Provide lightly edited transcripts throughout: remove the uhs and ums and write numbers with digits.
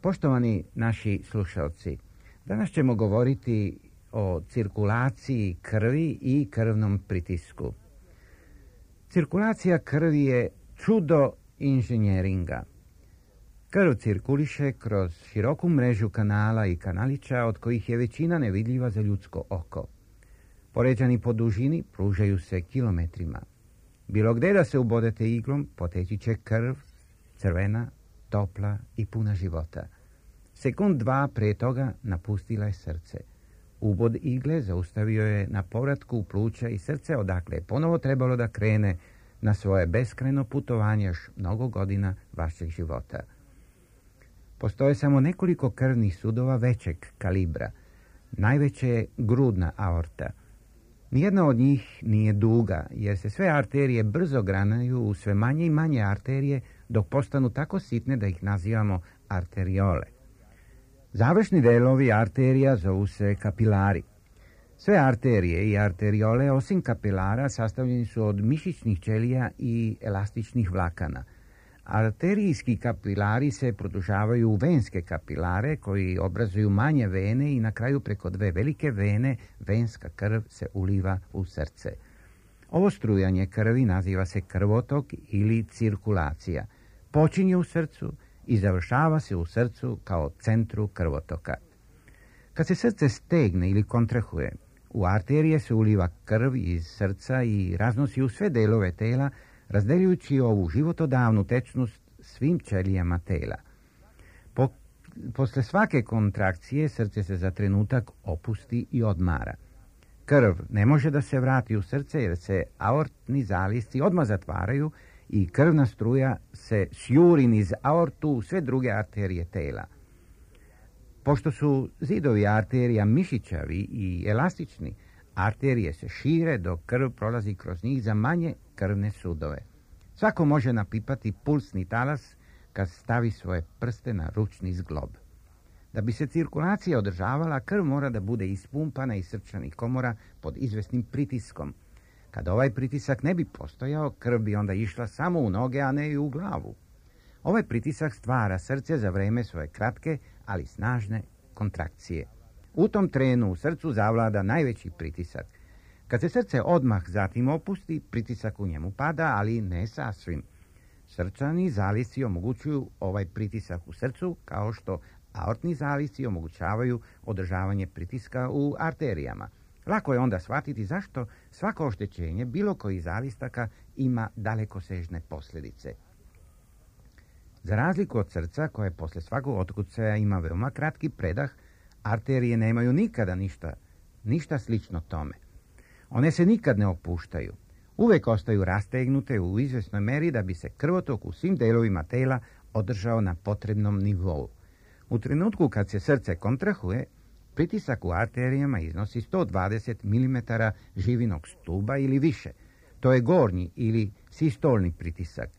Poštovani naši slušalci, danas ćemo govoriti o cirkulaciji krvi i krvnom pritisku. Cirkulacija krvi je čudo inženjeringa. Krv cirkuliše kroz široku mrežu kanala i kanalića, od kojih je većina nevidljiva za ljudsko oko. Poređani po dužini pružaju se kilometrima. Bilo gdje da se ubodete iglom, poteći će krv, crvena, topla i puna života. Sekund, dva prije toga napustila je srce. Ubod igle zaustavio je na povratku pluća i srce, odakle je ponovo trebalo da krene na svoje beskrajno putovanje još mnogo godina vašeg života. Postoje samo nekoliko krvnih sudova većeg kalibra. Najveće je grudna aorta. Nijedna od njih nije duga, jer se sve arterije brzo granaju u sve manje i manje arterije, dok postanu tako sitne da ih nazivamo arteriole. Završni delovi arterija zovu se kapilari. Sve arterije i arteriole, osim kapilara, sastavljeni su od mišićnih ćelija i elastičnih vlakana. Arterijski kapilari se produžavaju u venske kapilare, koji obrazuju manje vene i na kraju preko dve velike vene venska krv se uliva u srce. Ovo strujanje krvi naziva se krvotok ili cirkulacija. Počinje u srcu i završava se u srcu kao centru krvotoka. Kad se srce stegne ili kontrahuje, u arterije se uliva krv iz srca i raznosi u sve delove tela, razdeljujući ovu životodavnu tečnost svim ćelijama tela. Posle svake kontrakcije srce se za trenutak opusti i odmara. Krv ne može da se vrati u srce jer se aortni zalisci odmah zatvaraju i krvna struja se sjuri niz aortu u sve druge arterije tela. Pošto su zidovi arterija mišićavi i elastični, arterije se šire dok krv prolazi kroz njih za manje krvne sudove. Svako može napipati pulsni talas kad stavi svoje prste na ručni zglob. Da bi se cirkulacija održavala, krv mora da bude ispumpana iz srčanih komora pod izvesnim pritiskom. Kad ovaj pritisak ne bi postojao, krv bi onda išla samo u noge, a ne i u glavu. Ovaj pritisak stvara srce za vreme svoje kratke, ali snažne kontrakcije. U tom trenu u srcu zavlada najveći pritisak. Kad se srce odmah zatim opusti, pritisak u njemu pada, ali ne sasvim. Srčani zalisci omogućuju ovaj pritisak u srcu, kao što aortni zalisci omogućavaju održavanje pritiska u arterijama. Lako je onda shvatiti zašto svako oštećenje bilo koji zalistaka ima dalekosežne posljedice. Za razliku od srca, koje posle svakog otkucaja ima veoma kratki predah, arterije nemaju nikada ništa slično tome. One se nikad ne opuštaju. Uvek ostaju rastegnute u izvesnoj meri da bi se krvotok u svim delovima tela održao na potrebnom nivou. U trenutku kad se srce kontrahuje, pritisak u arterijama iznosi 120 mm živinog stuba ili više. To je gornji ili sistolni pritisak.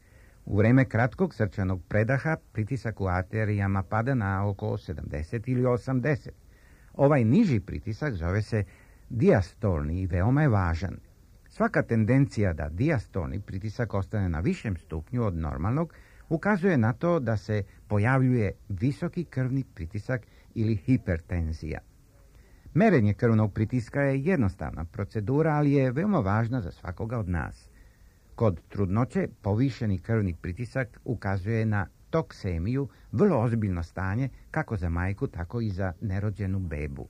U vreme kratkog srčanog predaha pritisak u arterijama pada na oko 70 ili 80. Ovaj niži pritisak zove se dijastolni i veoma je važan. Svaka tendencija da dijastolni pritisak ostane na višem stupnju od normalnog ukazuje na to da se pojavljuje visoki krvni pritisak ili hipertenzija. Merenje krvnog pritiska je jednostavna procedura, ali je veoma važna za svakoga od nas. Kod trudnoće povišeni krvni pritisak ukazuje na toksemiju, vrlo ozbiljno stanje kako za majku, tako i za nerođenu bebu.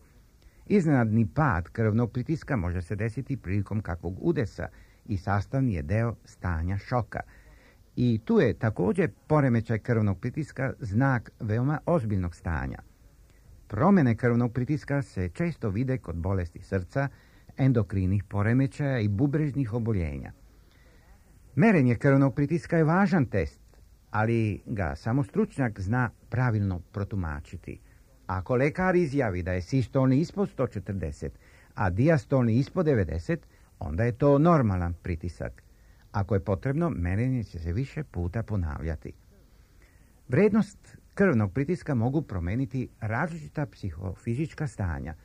Iznenadni pad krvnog pritiska može se desiti prilikom kakvog udesa i sastavni je deo stanja šoka. I tu je također poremećaj krvnog pritiska znak veoma ozbiljnog stanja. Promjene krvnog pritiska se često vide kod bolesti srca, endokrinih poremećaja i bubrežnih oboljenja. Merenje krvnog pritiska je važan test, ali ga samo stručnjak zna pravilno protumačiti. Ako lekar izjavi da je sistolni ispod 140, a dijastolni ispod 90, onda je to normalan pritisak. Ako je potrebno, merenje će se više puta ponavljati. Vrednost krvnog pritiska mogu promeniti različita psihofizička stanja.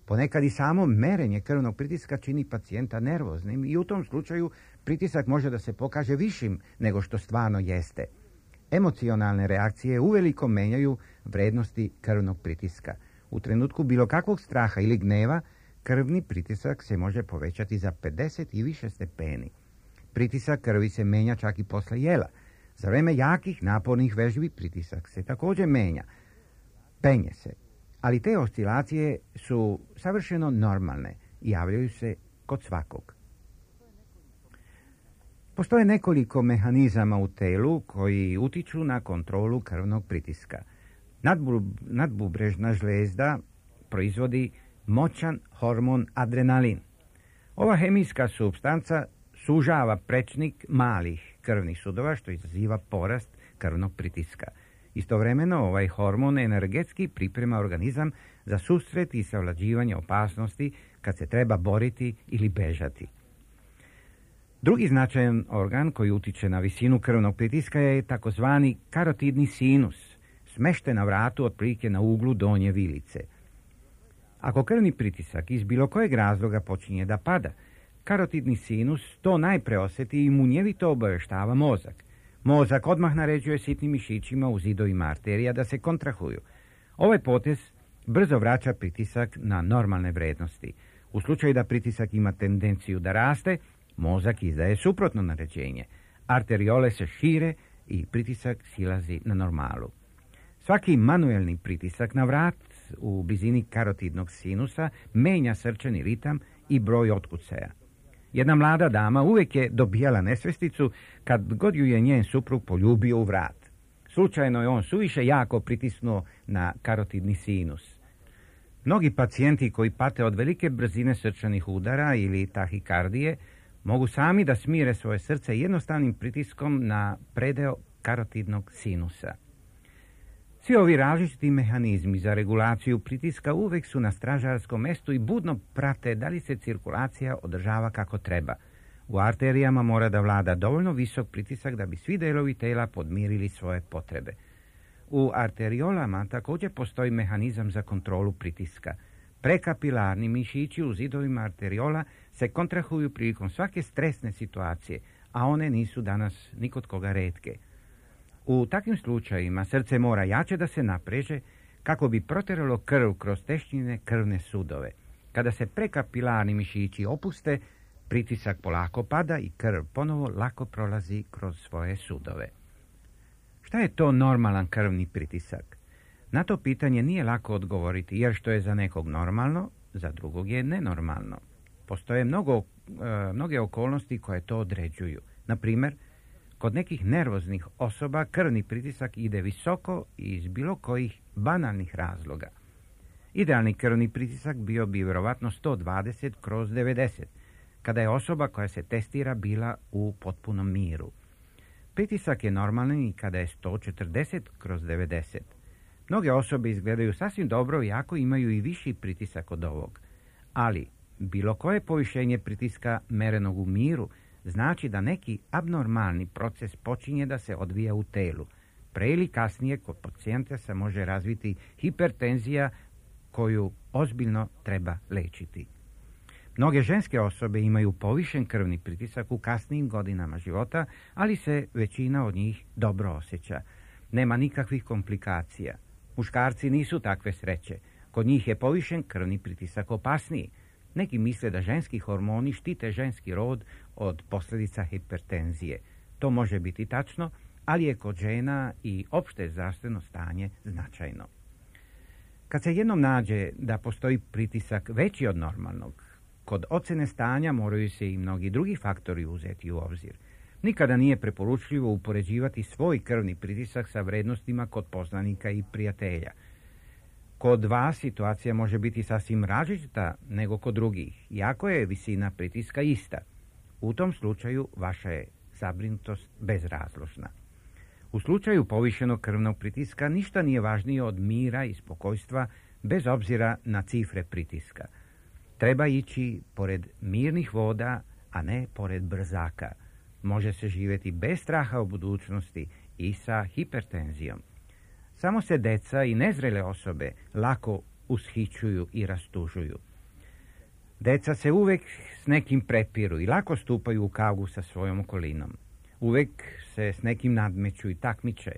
Ponekad i samo merenje krvnog pritiska čini pacijenta nervoznim i u tom slučaju pritisak može da se pokaže višim nego što stvarno jeste. Emocionalne reakcije uveliko menjaju vrednosti krvnog pritiska. U trenutku bilo kakvog straha ili gneva, krvni pritisak se može povećati za 50 i više stepeni. Pritisak krvi se menja čak i posle jela. Za vreme jakih napornih vežbi pritisak se također menja. Penje se. Ali te oscilacije su savršeno normalne i javljaju se kod svakog. Postoje nekoliko mehanizama u telu koji utiču na kontrolu krvnog pritiska. Nadbubrežna žlijezda proizvodi moćan hormon adrenalin. Ova hemijska supstanca sužava prečnik malih krvnih sudova, što izaziva porast krvnog pritiska. Istovremeno ovaj hormon energetski priprema organizam za susret i savlađivanje opasnosti kad se treba boriti ili bežati. Drugi značajan organ koji utiče na visinu krvnog pritiska je takozvani karotidni sinus, smešten na vratu otprilike na uglu donje vilice. Ako krvni pritisak iz bilo kojeg razloga počinje da pada, karotidni sinus to najpre osjeti i munjevito obaveštava mozak. Mozak odmah naređuje sitnim mišićima u zidovima arterija da se kontrahuju. Ovaj potez brzo vraća pritisak na normalne vrednosti. U slučaju da pritisak ima tendenciju da raste, mozak izdaje suprotno naređenje. Arteriole se šire i pritisak silazi na normalu. Svaki manuelni pritisak na vrat u blizini karotidnog sinusa menja srčani ritam i broj otkucaja. Jedna mlada dama uvijek je dobijala nesvesticu kad god ju je njen suprug poljubio u vrat. Slučajno je on suviše jako pritisnuo na karotidni sinus. Mnogi pacijenti koji pate od velike brzine srčanih udara ili tahikardije mogu sami da smire svoje srce jednostavnim pritiskom na predeo karotidnog sinusa. Svi ovi različiti mehanizmi za regulaciju pritiska uvijek su na stražarskom mestu i budno prate da li se cirkulacija održava kako treba. U arterijama mora da vlada dovoljno visok pritisak da bi svi delovi tela podmirili svoje potrebe. U arteriolama također postoji mehanizam za kontrolu pritiska. Prekapilarni mišići u zidovima arteriola se kontrahuju prilikom svake stresne situacije, a one nisu danas ni kod koga retke. U takvim slučajima srce mora jače da se napreže kako bi proteralo krv kroz teščine krvne sudove. Kada se prekapilarni mišići opuste, pritisak polako pada i krv ponovo lako prolazi kroz svoje sudove. Šta je to normalan krvni pritisak? Na to pitanje nije lako odgovoriti, jer što je za nekog normalno, za drugog je nenormalno. Postoje mnoge okolnosti koje to određuju. Na primjer, kod nekih nervoznih osoba krvni pritisak ide visoko iz bilo kojih banalnih razloga. Idealni krvni pritisak bio bi vjerovatno 120/90, kada je osoba koja se testira bila u potpunom miru. Pritisak je normalan i kada je 140/90. Mnoge osobe izgledaju sasvim dobro iako imaju i viši pritisak od ovog. Ali bilo koje povišenje pritiska merenog u miru znači da neki abnormalni proces počinje da se odvija u telu. Pre ili kasnije kod pacijenta se može razviti hipertenzija koju ozbiljno treba lečiti. Mnoge ženske osobe imaju povišen krvni pritisak u kasnijim godinama života, ali se većina od njih dobro osjeća. Nema nikakvih komplikacija. Muškarci nisu takve sreće. Kod njih je povišen krvni pritisak opasniji. Neki misle da ženski hormoni štite ženski rod od posljedica hipertenzije. To može biti tačno, ali je kod žena i opšte zdravstveno stanje značajno. Kad se jednom nađe da postoji pritisak veći od normalnog, kod ocene stanja moraju se i mnogi drugi faktori uzeti u obzir. Nikada nije preporučljivo upoređivati svoj krvni pritisak sa vrednostima kod poznanika i prijatelja. Kod vas situacija može biti sasvim različita nego kod drugih, iako je visina pritiska ista. U tom slučaju vaša je zabrinutost bezrazložna. U slučaju povišenog krvnog pritiska ništa nije važnije od mira i spokojstva bez obzira na cifre pritiska. Treba ići pored mirnih voda, a ne pored brzaka. Može se živjeti bez straha u budućnosti i sa hipertenzijom. Samo se deca i nezrele osobe lako ushićuju i rastužuju. Deca se uvek s nekim prepiru i lako stupaju u kavu sa svojom okolinom. Uvek se s nekim nadmeću i takmiče.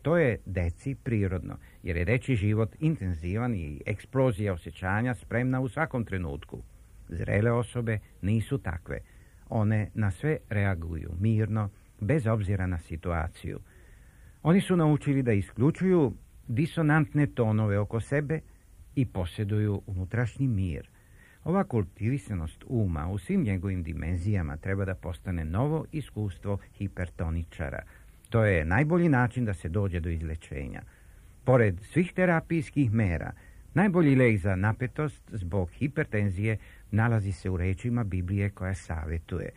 To je deci prirodno, jer je dečji život intenzivan i eksplozija osjećanja spremna u svakom trenutku. Zrele osobe nisu takve. One na sve reaguju mirno, bez obzira na situaciju. Oni su naučili da isključuju disonantne tonove oko sebe i posjeduju unutrašnji mir. Ova kultivisanost uma u svim njegovim dimenzijama treba da postane novo iskustvo hipertoničara. To je najbolji način da se dođe do izlečenja. Pored svih terapijskih mera, najbolji lek za napetost zbog hipertenzije nalazi se u rečima Biblije koja savjetuje: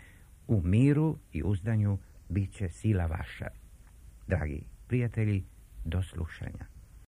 u miru i uzdanju bit će sila vaša. Dragi prijatelji, do slušanja.